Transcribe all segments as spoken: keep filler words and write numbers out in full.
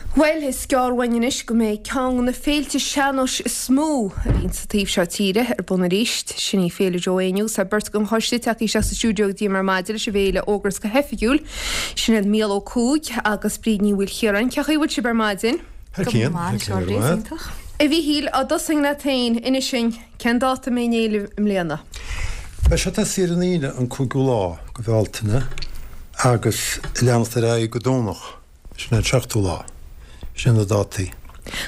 Bhuel, is gearr uainn anois go mbeidh ceann de na féilte sean-nóis is mó a bhíonn sa taobh seo tíre ar bun arís. Sin í Féile Joe Éinniú. Tá beirt den choiste tagtha isteach sa stiúideo go dtí ar maidin leis an bhféile a fhógairt go hoifigiúil. Sin iad Mícheál Ó Cuaig agus Bríd Ní Mhaoilchiaráin. Cén chaoi a bhfuil sibh ar maidin? Thar cionn, thar cionn, go raibh maith agat. A Mhíchíl, dá dtosóinn leat féin, inis dúinn, cén dáta a mbeidh an fhéile i mbliana? Beidh sé ag tosaí ar an Aoine an cúigiú lá de Bhealtaine agus ag leanacht ar aghaidh go Domhnach. Sin an seachtú lá. Sin na dátaí.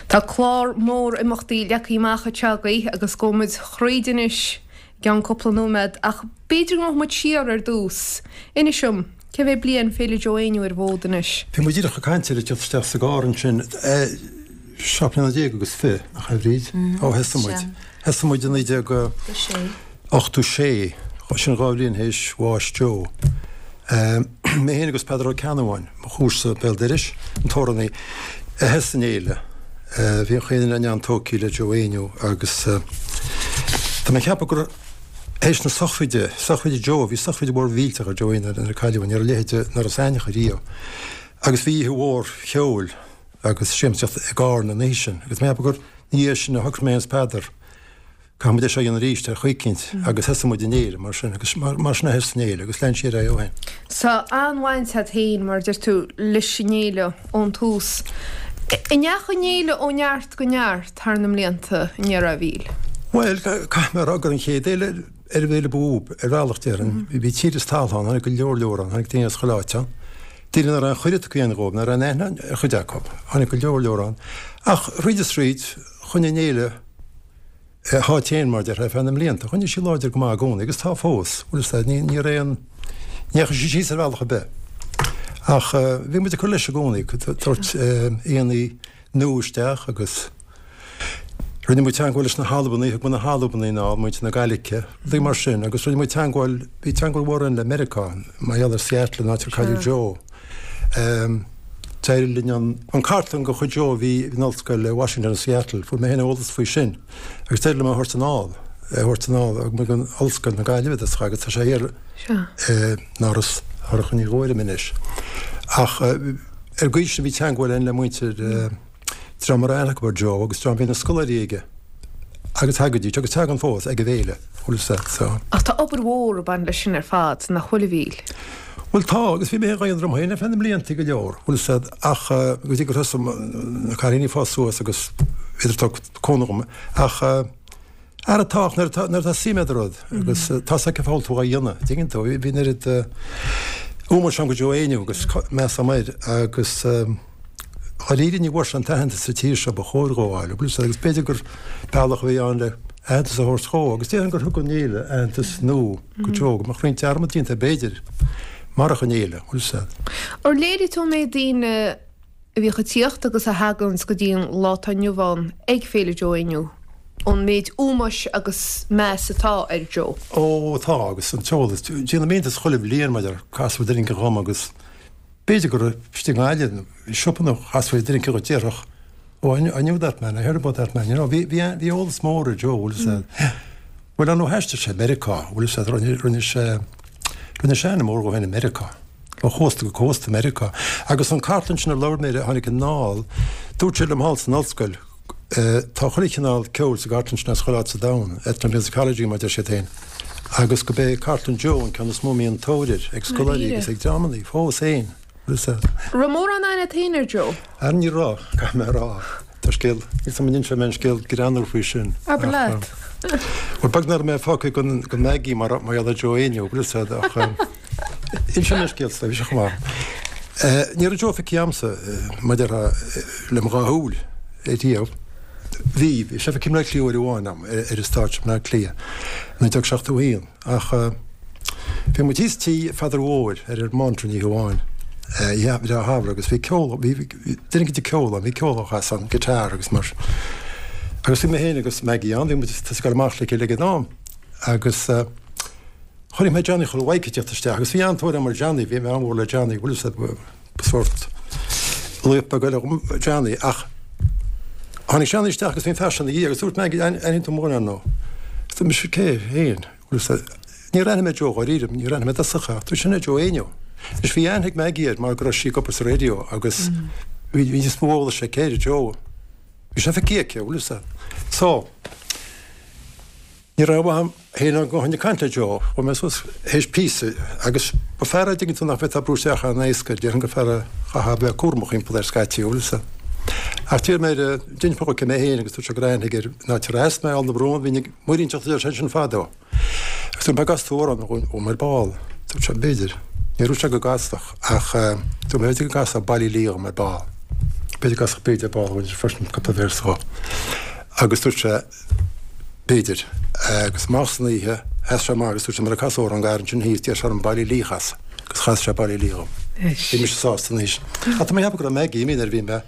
Tá clár mór imeachtaí leagtha amach anseo agaibh agus gabhfaidh muid thríd anois i gceann cúpla nóiméad ach b'fhéidir go ngabhfaidh muid siar ar dtús. Inis dom, cé mhéad bliain Féile Joe Éinniú ar an bhfód anois? Bhí muid díreach ag caint air ag teacht isteach sa gcarr ansin. Seacht mbliana déag agus fiche, nach ea, a Bhríd? Ó thosaigh muid. Thosaigh muid i naoi déag ochtó sé, sin dhá bhliain théis bháis Joe. Mé féin agus Peadar Ó Ceannabháin, mo chomharsa béal dorais, an t-amhránaí, a thosaigh an fhéile. Bhí an chaoi duine an-tógtha le Joe Éinniú agus tá mé ag ceapadh gur théis na sochraide, sochraide Joe, bhí sochraid mhór mhillteach ar Joe Éinniú nuair a cailleadh é, ní raibh a leithéid in Iorras Aithneach riamh. Agus bhí oíche mhór cheoil agus siamsaíocht i gCarna an oíche sin agus tá mé ag ceapadh gur ina dhiaidh sin a shocraigh mé féin is Peadar Caithfidh muid é seo a dhéanamh arís ar chaoi eicínt agus thosaigh muid an fhéile mar sin agus mar sin a thosaigh an fhéile agus lean sí ar aghaidh ó shin. Tá an-bhaint agat féin, mar a deir tú, leis an fhéile ón tús. An ndeachaigh an fhéile ó neart go neart thar na mblianta, an ndéarfá, a Mhíchíl? Bhuel, caithfidh mé a rá gur an chéad fhéile ar an bhféile ba mhó, ar bhealach déarfainn. Bhí tír is talamh ann, tháinig go leor leor ann, tháinig daoine as chuile áit ann. Daoine nach raibh aon chuireadh tugtha dhóibh, nach raibh aon aithne ar chuid acu. Tháinig go leor leor ann. Ach thríd is thríd, choinnigh an fhéile a háit féin, mar a déarfá, ar feadh na mblianta. Choinnigh sí láidir go maith i gcónaí agus tá fós, bhfuil fhios a'd, ní, ní raibh aon, ní dheachaigh sí síos ar bhealach ar bith. Ach bhí muid ag cur leis i gcónaí, ag tabhairt aíonna nua isteach agus rinne muid teagmháil leis na hAlbanaigh, thug muid na hAlbanaigh anall, muintir na Gaidhlice, rudaí mar sin agus rinne muid teagmháil, bhí teagmháil mhór againn le Meiriceá, mar gheall ar Seattle, an áit ar cailleadh Joe. D'éirigh linn an cartlann de chuid Joe a bhí in Ollscoil Washington i Seattle, fuair mé féin eolas faoi sin agus d'éirigh liom é a thabhairt anall, é a thabhairt anall go dtí Ollscoil na Gaillimhe i dtosach agus tá sé thiar in Áras Shorcha Ní Ghuairim anois. Ach ar an gcaoi sin bhí teagmháil againn le muintir dream a raibh aithne acu ar Joe agus dream a bhí ina scoláirí aige. Agus thagaidís, agus tagann fós, ag an bhféile, bhfuil fhios a'd, so. Ach tá obair mhór ag baint leis sin ar fad, nach bhfuil, a Mhíchíl? Bhuel tá, agus bhí mé dhá dhéanamh orm féin ar feadh na mblianta go leor, bhfuil fhios a'd, ach go dtí gur thosaigh na cailíní ag fás suas agus bhíodar ag tabhairt cúnamh dhom, ach ara tá, ach nuair atá, nuair atá suim a'd i rud agus tá 'fhios a'd cén fáth a bhfuil tú dhá dhéanamh, dtuigeann tú, bhí an oiread ómóis agam do Joe Éinniú agus meas agam air agus. Dháiríre ní bhfuair sé an t-aitheantas sa tír seo ba chóir dhó a fháil, bhfuil fhios a'd, agus b'fhéidir gur bealach a bhí ann le aitheantas a thabhairt dhó, agus déarfainn gur thug an fhéile aitheantas nua go Joe, go mbeadh roinnt dearmad déanta air b'fhéidir, marach an fhéile, bhfuil fhios a'd. Ar léirigh tú an méid daoine a bhíodh ag tíocht agus a thaganns go dtí an lá atá inniu ann ag Féile Joe Éinniú, an méid ómóis agus meas atá ar Joe? Ó, tá, agus an t-eolas, déanaim iontas chuile bhliain maidir, casfaí duine éicint dhom agus. B'fhéidir gur istigh i nGaillimh, i siopa nó chasfaí duine éicint dhuit déarfadh, Oh, I knew that man, I heard about that man, you know. Bhí, bhí, bhí eolas mór ar Joe, bhfuil fhios a'd. Bhuel, ar ndóigh thaistil sé Meiriceá, bhfuil fhios a'd, rinne, rinne sé, rinne sé ainm mór dhó féin i Meiriceá. Ó chósta go cósta i Meiriceá. Agus an cartlann sin ar labhair mé air a tháinig anall, dúirt sé liom thall san ollscoil, Tá chuile chineál ceoil sa gcartlann sin as chuile áit sa domhan, ethnomusicology mar a deir siad féin, agus gurb é cartlann Joe an ceann is mó a mbíonn tóir air ag scoláirí agus ag dreamanna fós féin. Raibh mórán aithne agat féin ar Joe? Ara ní raibh, caithfidh mé a rá. Tá scéal, níl 's a'm an inseoidh mé an scéal greannmhar faoi sin. Abair leat. Bhuel, beag nach raibh mé fágtha gan gan Maggie mar mar gheall ar Joe Éinniú, bhfuil 'fhios a'd, ach inseoidh mé an scéal sa bhí sé chomh maith. Ní raibh Joe feicthe a'msa, mar a déarfá, le mo dhá shúil riamh. Bhí, bhí sé feicthe i mBleá Cliath uair amháin a'm, ar an stáitse i mBleá Cliath, naoi déag seachtó a haon, ach bhí muid thíos tí Pheadair Mhóir ar an mBeanntraí oíche amháin, oíche bhreá shamhraidh agus bhí ceol, bhí duine éicint ag ceol ann, bhí ceol á chasadh ann, guitar agus mar agus bhí mé féin agus Maggie ann, bhí muid ag tosaí ag dul amach le chéile ag an am agus chonaic mé Johnny Chóil Mhaidhc ag tíocht isteach agus bhí an-tóir agam ar Johnny, bhí mé an-mhór le Johnny, bhfuil 'fhios a'd, ba sórt laoch beag eile dhom Johnny ach tháinig Johnny isteach agus bhí an fear seo ina dhiaidh agus dúirt Maggie, aithníonn tú mo dhuine, ar ndóigh. Dúirt mise, cé féin? Bhfuil 'fhios a'd, níor aithnigh mé Joe dháiríre, níor aithnigh mé i dtosach é, ach dúirt sin é Joe Éinniú. Anois bhí aithne ag Maggie air mar go raibh sí ag obair sa raidió agus Bhí níos mó eolais aici ar Joe. Bhí sé feicthe aici, bhfuil fhios a'd. So, ní raibh uaim féin ach gabháil ag caint le Joe. Chuaigh mé suas théis píosa agus ba fear é an dtuigeann tú nach bhféadfá brú isteach an-éasca, déarfainn gur fear a chaithfeá bheith cúramach thimpeall air scaití, bhfuil fhios a'd. Ach d'iarr mé air, d'inis mé dhó cé mé féin agus dúirt sé gur aithne aige ar an áit ar as mé, Aill na Brún, bhínn ag muirínteacht a deir sé sin fadó. Agus dúirt mé an gcasfaidh tú amhrán dhom ar ball. Dúirt sé b'fhéidir. Níor dhúirt sé go gcasfadh ach dúirt mé b'fhéidir go gcasfá Baile Átha Liath dhom ar ball. B'fhéidir go gcasfadh Bríd ar ball dhúinn freisin cúpla véarsa dhó. Agus dúirt sé b'fhéidir. Agus amach san oíche sheas sé amach agus dúirt sé mura casadh amhrán gar ansin thíos d'iarr sé orm Baile Átha Liath a chasadh agus chas sé Baile Átha Liath dhom. Bhí mise sásta anois. Ach tá mé ag ceapadh go raibh Maggie imithe nuair a bhí mé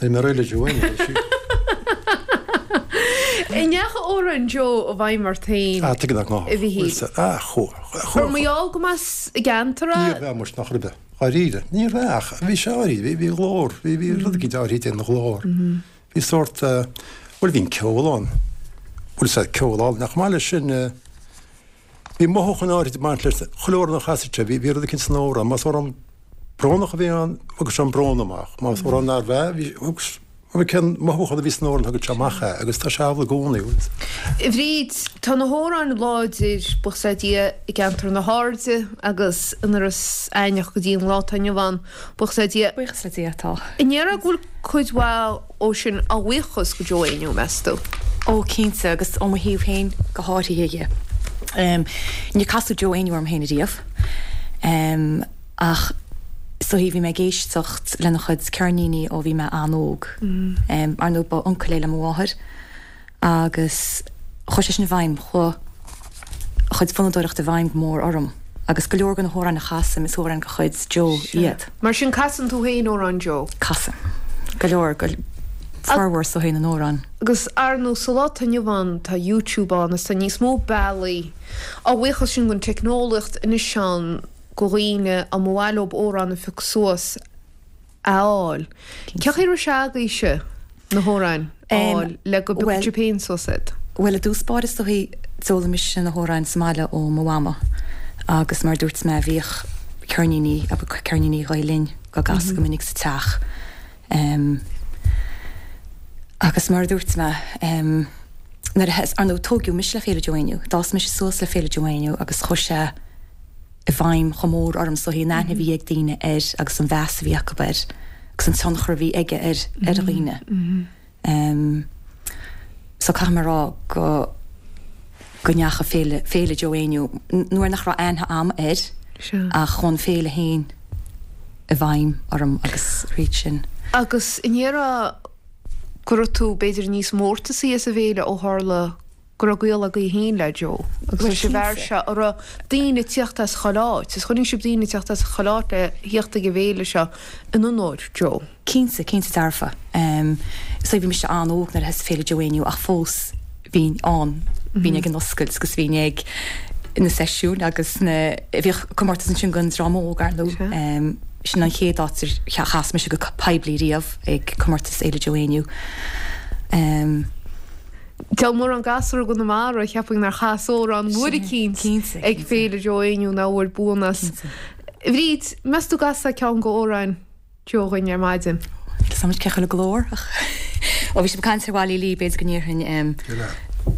Bhí mé réidh le Joe anois. An ndeachaigh amhráin Joe i bhfeidhm ort féin, Ah, tuige nach a Mhichíl? Ah, chuaigh. Gur mar gheall go mb'as an gceantar é? Níorbh ea muis, nach raibh. Dháiríre. Níorbh ea ach bhí sé áirithe, bhí, bhí a ghlór, bhí, bhí rud eicínt áirithe ina ghlór. Bhí sórt, bhuel bhí an ceol ann. Bhuel is ea ceol álainn. Ach chomh maith leis sin, bhí mothúchán áirithe ag baint leis, chuile amhrán a chasadh sé, bhí, bhí rud eicínt san amhrán. Más amhrán brónach a bhí ann, thugadh sé an brón amach. Más amhrán nárbh ea, bhí, thug, cén mothúchán a bhí san amhrán, thugadh sé amach é agus tá sé amhlaidh i gcónaí. A Bhríd, tá na hamhráin láidir, buíochas le Dia, i gceantar na hAirde agus in Iorras Aithneach go dtí an lá atá inniu ann, buíochas le Dia. Buíochas le Dia, tá. An ndéarfá go bhfuil cuid mhaith ó sin a bhuíochas go Joe Éinniú, meas tú? Ó, cinnte, agus ó mo thaobh féin go háirithe. Níor casadh Joe Éinniú orm féin ariamh. Ach is dóichí bhí mé ag éisteacht lena chuid ceirníní ó bhí mé an-óg. Ar ndóigh ba uncail é le mo mháthair agus chuaigh sé sin i bhfeidhm, chuaigh a chuid fonnadóireachta i bhfeidhm go mór orm agus go leor de na hamhráin a chasaim is amhráin de chuid Joe iad. Mar sin casann tú féin amhráin Joe? Casaim. Go leor, go formhór is dóichí na n-amhrán. Agus ar ndóigh sa lá atá inniu ann tá YouTube ann is tá níos mó bealaí, á bhuíochas sin don teicneolaíocht anois ann, go dhaoine a mba mhaith leob amhrán a phiocadh suas a fháil. Cén chaoi a raibh sé agaibhse na hamhráin a fháil le go bpiocfadh sibh féin suas iad? Bhuel, i dtús báire is dóichí d'fhoghlaim mise na hamhráin sa mbaile ó mo mhama agus mar a dúirt mé bhíodh ceirníní, ceirníní Ghael Linn á gcasadh go minic sa teach. Agus mar a dúirt mé, nuair a, ar ndóigh tógadh mise le Féile Joe Éinniú, d'fhás mise suas le Féile Joe Éinniú agus chuaigh sé, i bhfeidhm chomh mór orm is dóichí an aithne a bhí ag daoine air agus an mheas a bhí acu air agus an tionchar a bhí aige ar ar dhaoine. So caithfidh mé a rá go go ndeachaigh Féile Féile Joe Éinniú nuair nach raibh aithne a'm air ach chuaigh an féile féin i bhfeidhm orm agus thríd sin. Agus an ndéarfá go raibh tú b'fhéidir níos mórtasaí as an bhféile ó tharla go raibh gaol agaibh féin le Joe agus leis an bhfear seo a raibh daoine ag tíocht as chuile áit, is chonaic sibh daoine ag tíocht as chuile áit le thíocht ag an bhféile seo in onóir Joe. Cinnte, cinnte dearfa. So bhí mise an-óg nuair a thosaigh Féile Joe Éinniú ach fós bhínn ann, bhínn ag an oscailt agus bhínn ag na seisiúin agus na, bhíodh comórtas ansin don dream óg ar ndóigh. Sin an chéad áit ar chas mise go poiblí riamh ag comórtas Fhéile Joe Éinniú. Tá mórán gasúr i gConamara, cheapfainn nár chas amhrán uair eicínt ag Féile Joe Éinniú ná a bhfuair buanna as. A Bhríd, meas tú an gcasfá ceann de amhráin Joe dhuinn ar maidin? Níl 'fhios a'm cé chomh le glór ach ó bhí sibh ag caint ar Bhaile Átha Liath b'fhéidir go ndéarfainn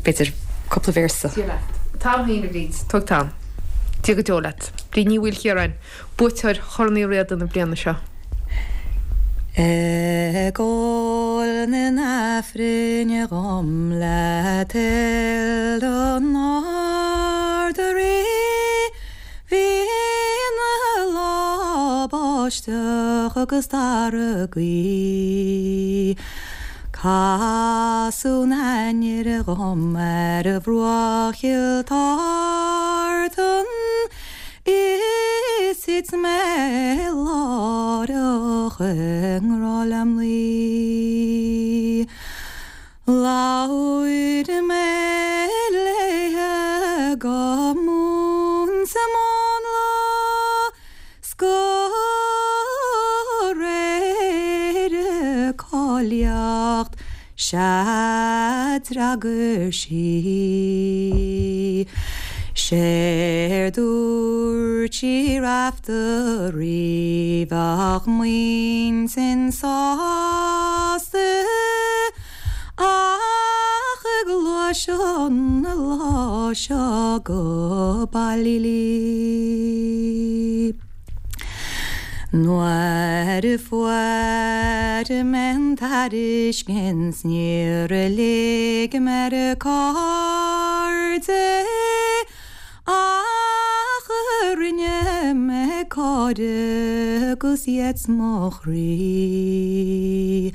b'fhéidir cúpla véarsa. Dia leat. An t-am féin a Bhríd. Tóg t'am. Dia go deo leat. Bríd Ní Mhaoilchiaráin, buaiteoir Chorn Uí Riada na bliana seo. Ag ól na n-aifrinn dhom le toil don Ard-Rí Bhí ina lá báisteach agus dara gaoth Casadh an ainnir dhom ar bhruach Chill Tartan Is thit mé láithreach i ngrá le mnaoi. Labhair mé léithe go múinte mánla 's go réir a cáilíocht 'sea d'fhreagair sí. Séard dúirt sí Raiftearaí bheadh m'intinn sásta ach ag gluaiseacht an lá seo go Ballylee. Nuair a fuair mé an tairiscint níor lig mé ar cairde ach rinne mé cairde agus iad mo chroí.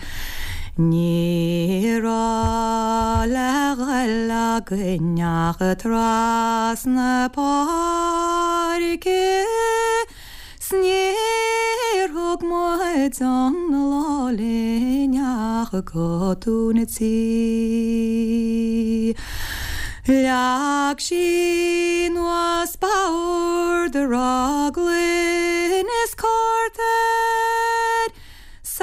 Ní raibh le dhul againn ach trasna páirce 's níor thug muid an lá linn ach go Dún an Tí. Leag sí anuas bord a raibh gloine is cárta air 's a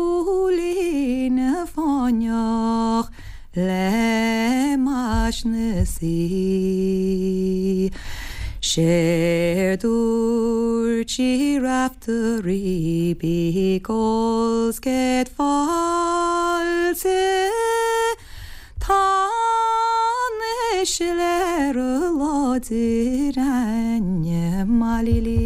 cúilín fáinneach le mais na sí. Séard dúirt sí Raiftearaí bí ag ól 's céad fáilte Tá an siléar láidir a'inne Mailílí.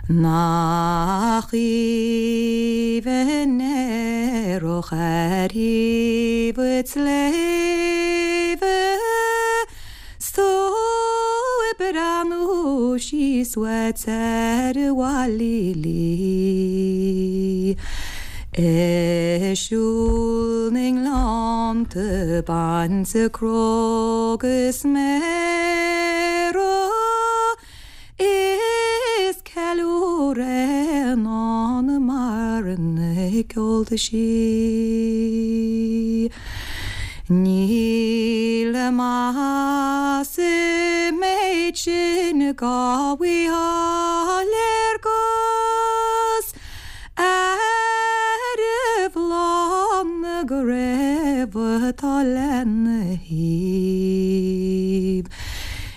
Nach aoibhinn earrach ar thaobh an tsléibhe 's tú ag breathnú síos uait ar Mhailílí. Ag siúl na ngleannta ag baint cnó agus méara Is ceiliúradh i ndán mar na ceolta sí. Níl maith sa méid sin dhá bhfaighfeá léargas ar bhláth na gcraobh atá lena thaobh.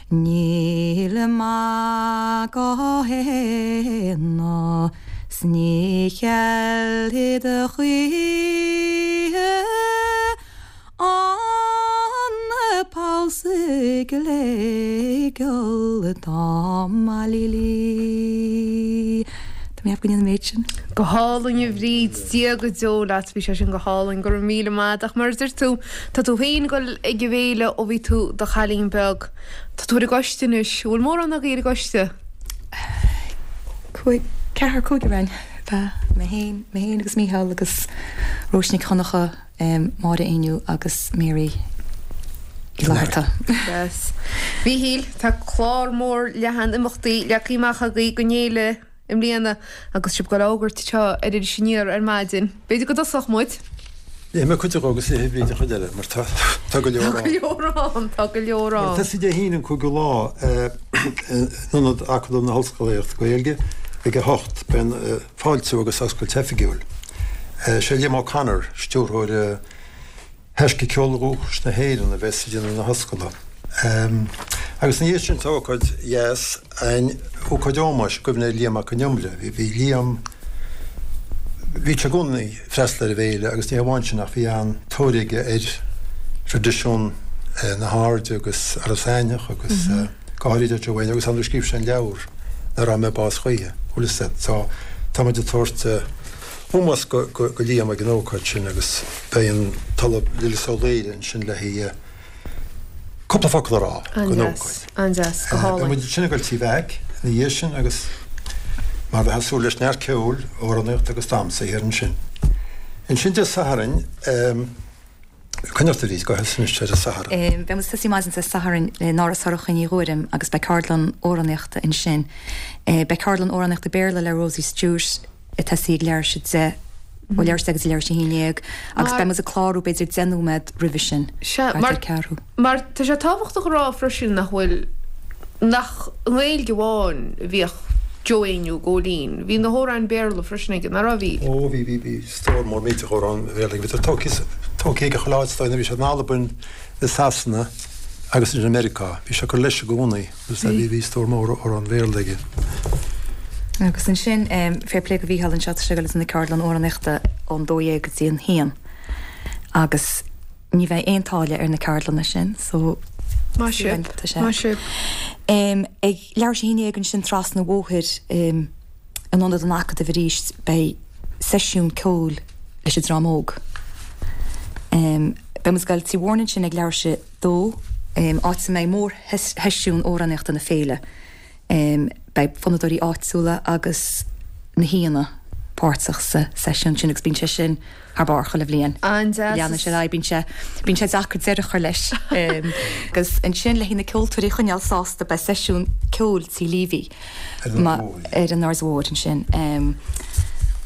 Níl maith dhá shéanadh 's ní cheilfidh a choíche an poll sa ghléigeal atá Mailílí. Tá mé ag an méid sin. Go hálainn a Bhríd, Dia go deo leat, bhí sé sin go hálainn, go raibh míle maith ach mar a deir tú, tá tú féin ag dul ag an bhféile ó bhí tú do chailín beag. Tá tú ar an gcoiste anois, an bhfuil mórán agaibh ar an gcoiste? Cúig, ceathrar cúigear againn. Bheadh mé féin, mé féin agus Mícheál agus Róise Nic Dhonncha, Máire Éinniú agus Mary Uí Fhlatharta. Yes. Mhíchíl, tá clár mór leathan imeachtaí leagtha amach agaibh don fhéile i mbliana agus sibh ag dul a fhógairt seo ar Iris Aniar ar maidin. B'fhéidir go dtosódh muid? Léifidh mé cuid acu agus léifidh Bríd an chuid eile mar tá tá go leor Tá go leor ann, tá go leor ann. Tosaí Dé hAoine an cúigiú lá in Ionad Acadamh na hOllscolaíochta Gaeilge ag a hocht beidh an fáiltiú agus oscailt oifigiúil. Sé Liam O'Connor, stiúrthóir Thaisce Ceol Dhúchais na hÉireann a bheas ag déanamh na hoscailte. Agus ina dhiaidh sin tá ócáid dheas againn, ócáid ómóis i gcuimhne ar Liam Mac Con Iomaire. Bhí bhí Liam, bhí sé i gcónaí ag freastal ar an bhféile agus ní hamháin sin ach bhí an-tóir aige ar thraidisiún na hAirde agus Iorras Aithneach agus go háirid ar Joe Éinniú agus ar ndóigh scríobh sé an leabhar Nár Fhág Mé Bás Choíche, bhfuil fhios a'd. So tá muid ag tabhairt ómós go Liam ag an ócáid sin agus beidh an tOllamh Lillis Ó Laoire ansin le haghaidh cúpla focal a rá don ócáid. An-deas, go hálainn. Beidh muid ansin ag dul Tí Mheaic ina dhiaidh sin agus mar bheifeá ag súil leis neart ceoil, amhránaíocht agus damhsa thiar ansin. Ansin Dé Sathairn, coinnigh ort a Bhríd, go háirithe anois ar an Satharn. Beidh muid ag tosaí maidin Dé Sathairn in Áras Shorcha Ní Ghuairim agus beidh ceardlann amhránaíochta ansin. Beidh ceardlann amhránaíochta Béarla le Rosie Stewart. ag tosaí ag leathuair tar éis a deich, ó leathuair tar éis a deich go dtí leathuair tar éis a haon déag agus beidh muid ag clárú b'fhéidir deich nóiméad roimhe sin, Sea, thart mar, ar ceathrú. mar tá sé tábhachtach a rá freisin nach bhfuil, nach i nGaeilge amháin a bhíodh Joe Éinniú ag Góilín, bhí na hamhráin Béarla freisin aige, nach raibh, a Mhíchíl? Ó bhí, bhí, bhí stór mór millteach amhrán Béarla aige, bhíodar tógtha tógtha aige chuile áit, bhí sé in Albain, i Sasana agus in Meiriceá. Bhí sé ag cur leis i gcónaí agus bhí bhí stór mór amhrán Béarla aige. Agus ansin, fair play do Mhícheál anseo, tá sé ag dul na ceardlann amhránaíochta ón dó dhéag go dtí an haon. Agus ní bheidh aon táille ar na ceardlanna sin, so Maith sibh. Tá sé. Maith sibh. Um, ag leathuair tar éis a haon déag ansin trasna an bhóthair um, in ionad an Acadaimh arís beidh seisiún ceoil leis an dream óg. Um, beidh muid ag dul Tigh Mhóirne ansin ag leathuair tar éis a dó um, áit a mbeidh mórsheisiún amhránaíochta na féile. Um, beidh fonnadóirí áitiúla agus na haíonna páirteach sa seisiún sin agus bíonn sé sin thar barr chuile bhliain. An-deas. Leanann sé bíonn sé bíonn sé deacair deireadh a chur leis. Um, agus ansin le na ceoltóirí a choinneáil sásta beidh seisiún ceoil Tí Leavey Ar an Ma- Mhór. ar an Aird Mhór ansin. Um,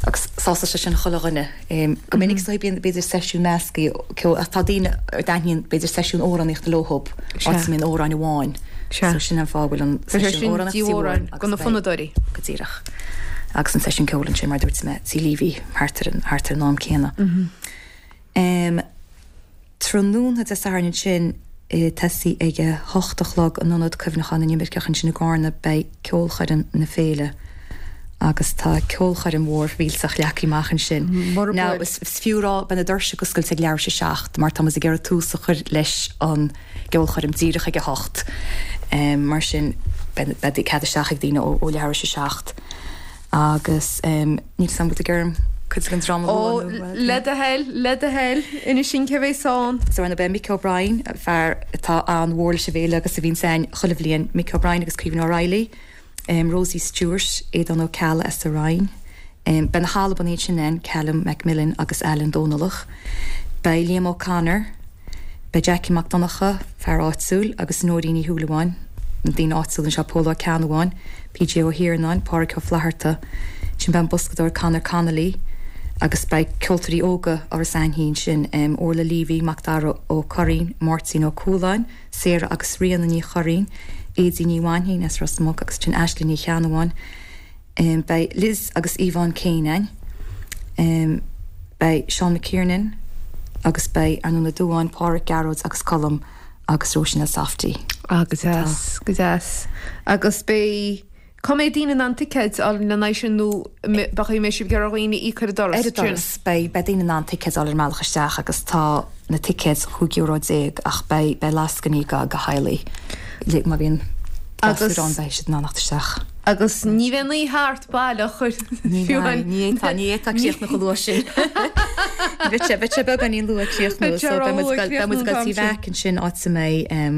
agus sásta sé sin chuile dhuine. Um, go minic so bíonn b'fhéidir seisiún measctha ceoil ach tá daoine ar dtaitníonn b'fhéidir seisiún amhránaíochta leob Sea. áit a mbíonn amhráin amháin. Sea. So sin an fáth go bhfuil an Tá sé seisiún sin amhránaíochta Tí Tí Mhóráin agus go na beidh- fonnadóirí. go díreach. Agus an seisiún ceoil ansin mar dúirt mé Tí Leavey thart ar an thart ar an am céanna. Um, Tráthnóna Dé Sathairn ansin tosaí ag a hocht a chlog in Ionad Cuimhneacháin na nImirceach ansin i gCarna beidh ceolchoirm na féile. Agus tá ceolchoirm mhór mhillteach leagtha amach ansin. Mar Now is is fiú rá beidh na doirse oscailte ag leathuair tar éis a seacht, mar tá muid ag iarraidh tús a chur leis an gceolchoirm díreach ag a hocht. Um, mar sin beidh beidh cead isteach ag daoine ó ó leathuair tar éis a seacht. Agus um, níl sam ag germ cuid den drama Ó, le do thoil, le do thoil, inis sin cé bheas ann. So ann beidh Mick O'Brien, fear atá an-mhór leis an bhféile agus a bhíonn ann chuile bhliain Mick O'Brien agus Caoimhín O'Reilly, um, Rosie Stewart, Aodán Ó Ceallaigh as an Rinn. Um, beidh na hAlbanaigh sin ann Callum Macmillan agus Alan Dónallach. Beidh Liam O'Connor, beidh Jackie Mac Donncha, fear áitiúil agus Nóirín Ní Shúilleabháin, daoine áitiúil anseo Pól Ó Ceannabháin, PJ Ó hIarnáin, Pádraig Ó Flatharta, sin beidh an boscadóir Conor Connolly, agus beidh ceoltóirí óga Áras Ainthín sin um, Orla Levy, Macdara Ó Curraoin, Máirtín Ó Cualáin, Sarah agus Ríona Ní Churraoin, Éidí Ní Bhainhín as Ros Muc agus sin Ashley Ní Cheannabháin. Um, beidh Liz agus Yvonne Kane um, beidh Sean McKiernan agus beidh Arnúna Dúáin, Pádraig Gearóid agus Colm agus Róisín Elsafty. Ah, go deas, go deas. Agus beidh Cá mbeidh daoine in ann ticéid a fháil lena sin nó beidh mé sibh ag iarraidh daoine íoc ar an doras. Ar an doras beidh beidh daoine in ann ticéid a fháil ar an mbealach isteach agus tá na ticéid chúig euro déag ach beidh beidh lascainí go go theaghlaigh le má bhíonn Agus- gasúir ann beidh siad in ann teacht isteach. Agus ní bheidh ní thart baileach Ní ní ní tá críochnú chomh luath sin. Bheadh sé bheadh sé beagáinín luath críochnú Bheadh sé so beidh muid róluath gal- beidh muid críochnú gal an tí t-am sin. bheith ansin áit a mbeidh um,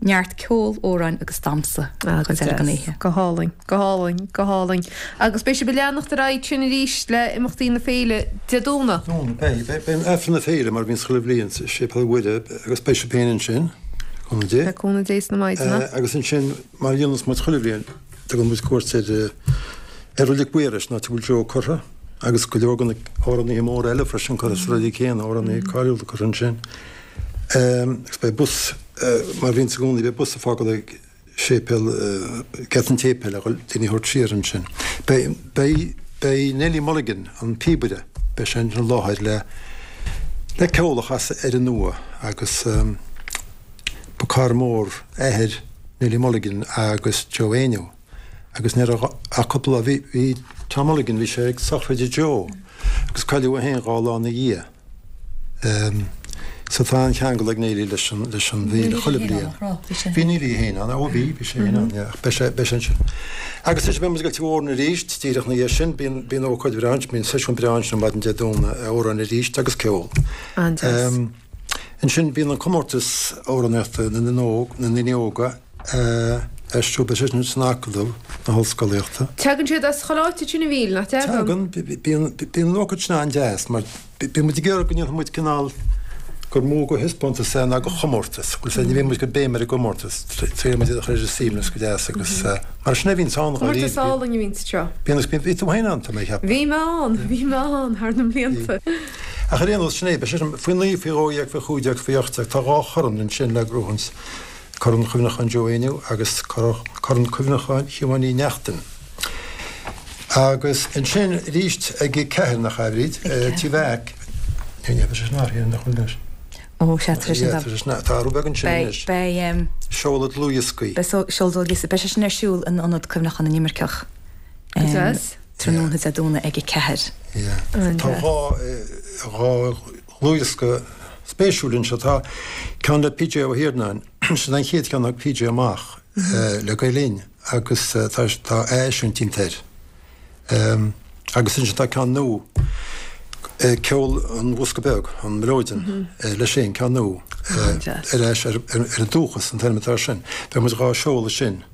neart ceol amhráin agus damhsa Ah, go chuid eile den deas. oíche. Go hálainn, go hálainn, go hálainn. Agus beidh sibh ag leanacht ar aghaidh sin arís le imeachtaí na féile Dé Domhnaigh. Beidh, beidh Aifreann na féile mar bhíonn chuile bhliain sa Séipéal Mhuire agus beidh sé féin ansin cúnamh Dé. Le cúnamh Dé sna maighdeana. Eh, agus ansin mar dhéanann muid chuile bhliain tugann muid cuairt ar eh, ar Reilig Mhaorais áit a bhfuil Joe curtha agus go leor de na hamhránaithe móra eile freisin curtha sa reilig céanna amhránaithe cáiliúla curtha ansin. Um, agus beidh bus uh, mar bhíonn i gcónaí beidh bus ag fágáil ag séipéal uh, geata an tséipéil a daoine a thabhairt siar ansin. Beidh beidh beidh Nelly Mulligan an píobaire beidh sé an láthair le le ceol a chasadh ar an Nua agus um, ba cara mór athair Nelly Mulligan agus Joe Éinniú. Agus ní a cúpla bhí bhí Tom Mulligan bhí sé ag sochraid Joe agus cailleadh é féin dhá lá ina dhiaidh. Um, so tá an ceangal ag Nelly leis an leis an bhféile chuile bhliain. Bhí Nelly féin ann, ó bhí bhí sé féin ann, beidh sé beidh sé sin. Agus is beidh muid ag Tigh Mhóirne arís díreach ina dhiaidh sin bíonn bíonn ócáid bhreá bíonn seisiún breá ansin maidin Dé Domhnaigh amhráin arís agus ceol. An-deas. Um, ansin bíonn an comórtas amhránaíochta na nóg na ndaoine óga uh, siúl sin san Acadamh na hOllscolaíochta. Tagann siad as chuile áit sin a bhíl, nach dtagann? Tagann bíonn bíonn ócáid sin an-deas mar bíonn muid ag iarraidh go ndéanfaidh muid cineál gur mó de thaispeántas é ná de chomórtas, Bhfuil sé ní bhíonn muid ag béim ar an gcomórtas trí muid a chur suimiúil go deas agus uh, mar sin a bhíonn ann Comórtas álainn a bhíonn seo. Bíonn bíonn bhí tú féin ann tá mé ag ceapadh. Bhí mé ann, bhí mé ann thar na mblianta. Ach ar aon nós sin é, beidh sé sin faoi naoi faoi dhó dhéag faoi chúig déag faoi ocht déag tá dhá chorn ansin le gnóthachtáil Corn Cuimhneacháin Joe Éinniú agus Corn Cuimhneacháin Shiobhán Ní Neachtain. Agus ansin arís ag ceathair nach arid Tí Mheaic Ní bheidh sé sin athraithe nach bhfuil anois. Ó, sea, tá sé sin Tá sé sin tá athrú beag ansin anois. Beidh Seoladh dlúthdhioscaí. Beidh seoladh dlúthdhioscaí. Beidh sé sin ar siúl in Ionad Cuimhneacháin na nImirceach. Go deas. Tráthnóna Dé Domhnaigh ag a ceathair. Tá dhá dhá dhlúthdhiosca spéisiúil anseo. Tá ceann le PJ Ó hIarnáin, sin an chéad cheann a thug PJ amach le Gael Linn agus tá tá atheisiúint déanta air. Agus ansin tá ceann nua, Ceol an Bhosca Beag, an Mileoidean, leis féin, ceann nua, ar ais ar an dúchas an t-ainm atá air sin. Beidh muid dhá seoladh sin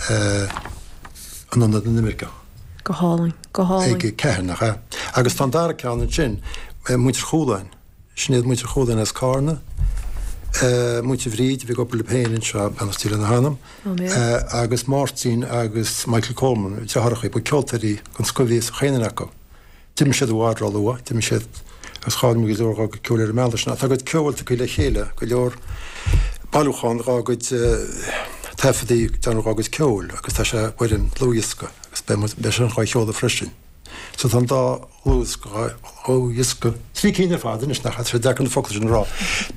in Ionad na nImirceach. Go hálainn, go hálainn. Ag a ceathair, nach ea? Agus tá an dara ceann ansin, Muintir Chualáin. Sin iad Muintir Chualáin as Cárna, Muintir Bhríd, a bhí ag obair leo féin anseo, beannacht Dé lena hanam, agus Máirtín agus Michael Coleman, deartháireacha, ba ceoltóirí den scoth a bhí sa chaon duine acu. D'imigh siad i bhfad róluath, d'imigh siad agus chaill muid go leor dá gcuid ceoil ar an mbealach sin. Ach tá a gcuid ceoil tugtha le chéile, go leor bailiúchán dá gcuid taifeadtaí, déanamh dá gcuid ceoil agus tá sé i bhfoirm dlúthdhiosca agus beidh sé dhá sheoladh freisin. So tá an dá dhlúthdhiosca, trí cinn ar fad anois, nach, tá sé deacair na focla sin a rá.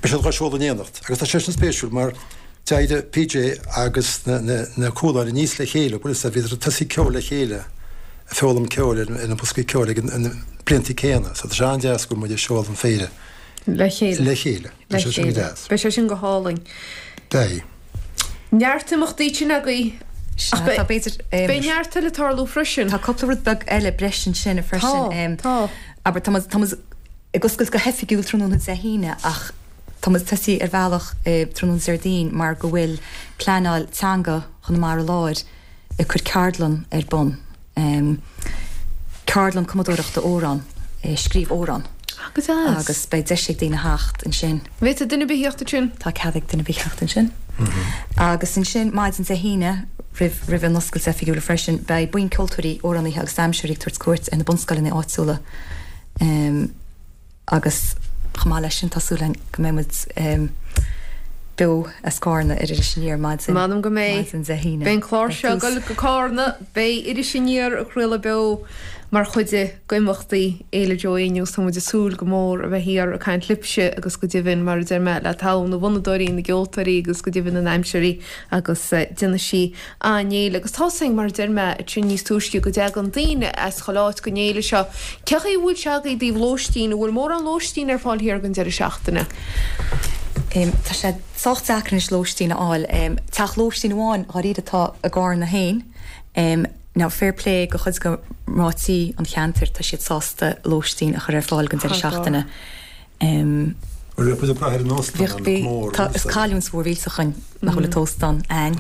Beidh siad dhá seoladh in éineacht agus tá sé sin spéisiúil mar d'éirigh PJ agus na, na, na Cualáin aníos le chéile, bhfuil fhios a'd, bhíodar ag tosaí ceol le chéile, ag foghlaim ceoil ar, ar na boscaí ceoil ag an, na bliantaí céanna. So tá sé an-deas go bhfuil muid ag seoladh an féile Le chéile. le chéile. Le Beidh sé sin go chéile. deas. Beidh sé sin go hálainn. Beidh. Neart imeachtaí sin agaibh. Sea, Ach tá b'fhéidir, beidh neart eile ag tarlú freisin. Tá cúpla rud beag eile breis ansin freisin. Tá, tá. Abair, tá muid, tá muid ag oscailt go hoifigiúil tráthnóna Dé hAoine ach tá muid tosaí ar bhealach tráthnóna Déardaoin mar go bhfuil Pleanáil Teanga Chonamara Láir ag cur ceardlann ar bun. Ceardlann cumadóireachta amhrán, scríobh amhrán. Ah, go deas. Agus beidh deis ag daoine theacht ansin. Bhféadfadh duine ar bith theacht ansin? Tá cead ag duine ar bith theacht ansin. Agus ansin, maidin Dé hAoine, roimh, roimh an oscailt oifigiúil freisin, beidh buíon ceoltóirí, amhránaithe agus damhsóirí ag tabhairt cuairt ar na bunscoileanna áitiúla. Agus chomh maith leis sin, tá súil againn go mbeidh muid beo as Cárna ar Iris Aniar maidin M'anam go mbeidh. maidin Dé hAoine. Beidh an clár seo ag dul go Cárna, beidh Iris Aniar ag craoladh beo mar chuid d'imeachtaí Fhéile Joe Éinniú agus tá muid ag súil go mór a bheith thiar ag caint libhse agus go deimhin, mar a deir mé, le togha na bhfonnadóirí, na gceoltóirí agus go deimhin na ndamhsóirí agus déanfaidh sí an-fhéile. Agus tá 's againn, mar a deir mé ansin níos túisce, go dtagann daoine as chuile áit don fhéile seo. Cé chaoi a bhfuil sé agaibh i dtaobh lóistín? An bhfuil mórán lóistín ar fáil thiar don deireadh seachtaine? Tá sé sách deacair anois lóistín a fháil. Teach lóistín amháin dháiríre atá i gCárna féin. Now fair play do chuid de mná tí an cheantair, tá siad sásta lóistín a chur ar fáil don deireadh seachtaine. Bhuel, bheadh muid ag brath ar an óstán Bheadh, bhí, tá, is cailliúint mhór mhillteach againn nach bhfuil an t-óstán a'ainn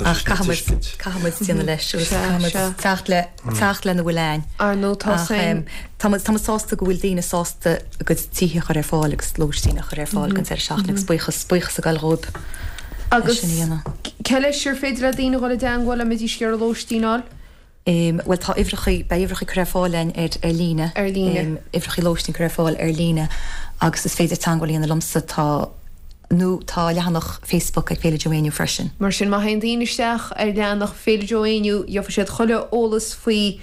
ach caithfidh muid, caithfidh muid déanamh leis agus caithfidh muid teacht le, teacht lena bhfuil a'ainn. Ar ndóigh tá Ach tá muid, tá muid sásta go bhfuil daoine sásta a gcuid tithe a chur ar fáil agus lóistín a chur ar fáil don deireadh seachtaine agus buíochas, buíochas ag goil dhóibh as Agus sin a dhéanamh. cé leis ar féidir le daoine dhul i dteangmháil dá mbeidís ag iarraidh lóistín a fháil? Bhuel tá uimhreacha, beidh uimhreacha curtha ar fáil a'ainn ar ar líne. Ar líne. Uimhreacha lóistín curtha ar fáil ar líne agus is féidir teangmháil a dhéanamh liomsa, tá, nó tá leathanach Facebook ag Féile Joe Éinniú freisin. Mar sin má théann daoine isteach ar leathanach Féile Joe Éinniú gheobhaidh siad chuile eolas faoi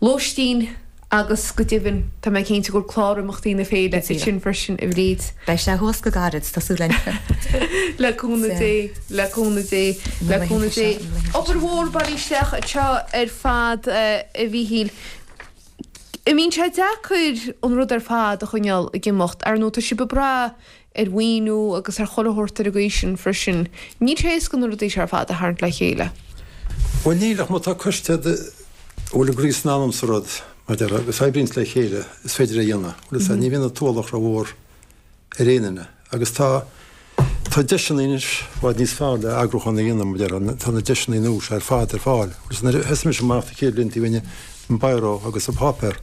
lóistín agus go deimhin tá mé cinnte go bhfuil clár imeachtaí na féile ansin freisin a Bhríd. Beidh sé thuas go gairid, tá súil againn. Le cúnamh Dé, le cúnamh Dé, le cúnamh Dé. Obair mhór bailithe isteach anseo ar fad a Mhíchíl. An mbíonn sé deacair an rud ar fad a choinneáil ag imeacht? Ar ndóigh tá sibh ag brath ar mhaoiniú agus ar chuile shórt ar an gcaoi sin freisin. Níl sé éasca na rudaí seo ar fad a tharraingt le chéile. Bhuel níl ach má tá coiste a bhfuil a gcroí is a n-anam sa rud, mar a déarfá, agus oibríonns le chéile, is féidir é a dhéanamh. Bhuel is ea, ní bhíonn an t-ualach rómhór ar aon duine. Agus tá, tá deiseanna anois i bhfad níos fearr le eagrúchán a dhéanamh, mar a déarfá, tá na deiseanna nua seo ar fad ar fáil. Agus nuair a thosaigh mise amach na chéad bhlianta bhínn i mbiro agus i bpáipéar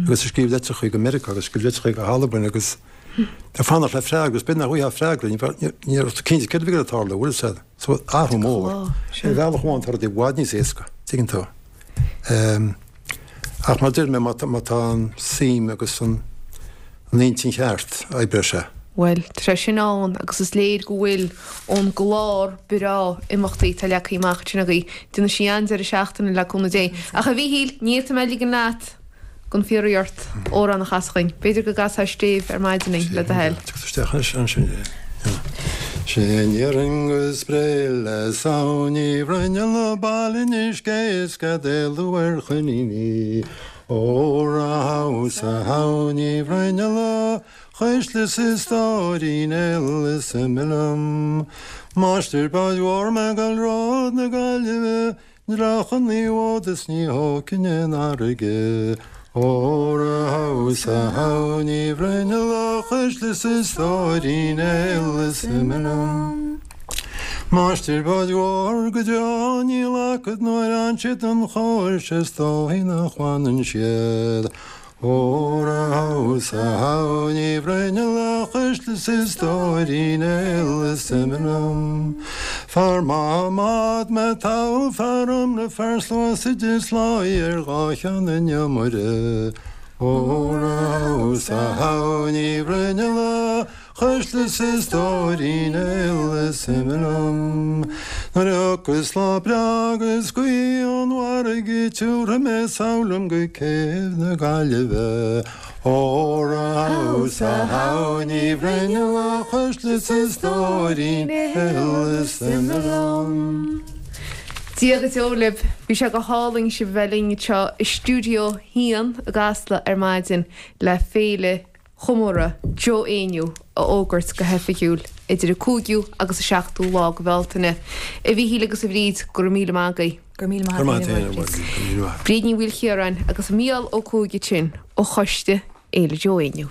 agus ag scríobh litreacha go Meiriceá agus ag scríobh litreacha go hAlbain agus ag fanacht le freagra agus b'fhéidir nach bhfaighfeá freagra, ní bheadh, ní raibh tú cinnte céard a bhí ag tarlú, bhfuil fhios a'd. So athrú mór. Ar bhealach amháin tá rudaí i bhfad níos éasca, tuigeann tú. Ach mar a deir mé, má tá an suim agus an intinn cheart, oibreoidh sé. Bhuel, tá sé sin ann agus is léir go bhfuil ón gclár breá imeachtaí atá leagtha amach ansin agaibh. Déanfaidh sí an-deireadh seachtaine le cúnamh Dé. Ach a Mhíchíl, ní fhéadfaidh mé ligean leat Gan fiafraí ort amhrán a chasadh dhuinn. B'fhéidir go gcasfá stéibh ar maidin í, le do thoil. Isteach anois ansin. Sin iarrainn go spré le Samhain Uí Bhruinnealla Baile Inis Gé is gad éalú ar choiníní. Óra thomhas a Shamhain Uí Bhruinnealla chuisle is a stóirín eile is ime liom. Máistir báid mhóir mé ag dul ród na Gaillimhe Dreach an bhfód is ní thógfainn an fharraige. Óra thomhas a Shamhain Uí Bhruinnealla chuisle is a stóirín eile is ime liom. Máistir báid mhóir go deo níl acu nuair a fhan siad don chóir is dóigh nach bhfanann siad. Óra thomhas a Shamhain Uí Bhruinnealla chuisle is a stóirín eile is ime liom. Fear maith i mbád mé togha fear iomramh fear sluasaid is láí ar dhá cheann an iomaire. Óra thomhas a Shamhain Uí Bhruinnealla chuisle is a stóirín eile is ime liom. Nuair a thiocfas lá breá agus gaoth ón bhfarraige tiúrfaidh mé sall liom go céibh na Gaillimhe. Óra thomhas a Shamhain Uí Bhruinnealla chuisle is a stóirín eile is ime liom. Dia go deo libh, bhí sé go hálainn sibh a bheith linn anseo i stiúideo a haon i gCasla ar maidin le féile chomóradh Joe Éinniú a fhógairt go hoifigiúil idir an cúigiú agus an seachtú lá de Bhealtaine. A Mhíchíl agus a Bhríd, go raibh míle maith agaibh. Go raibh míle maith agat. Bríd Ní Mhaoilchiaráin agus Mícheál Ó Cuaig ansin ó choiste Fhéile Joe Éinniú.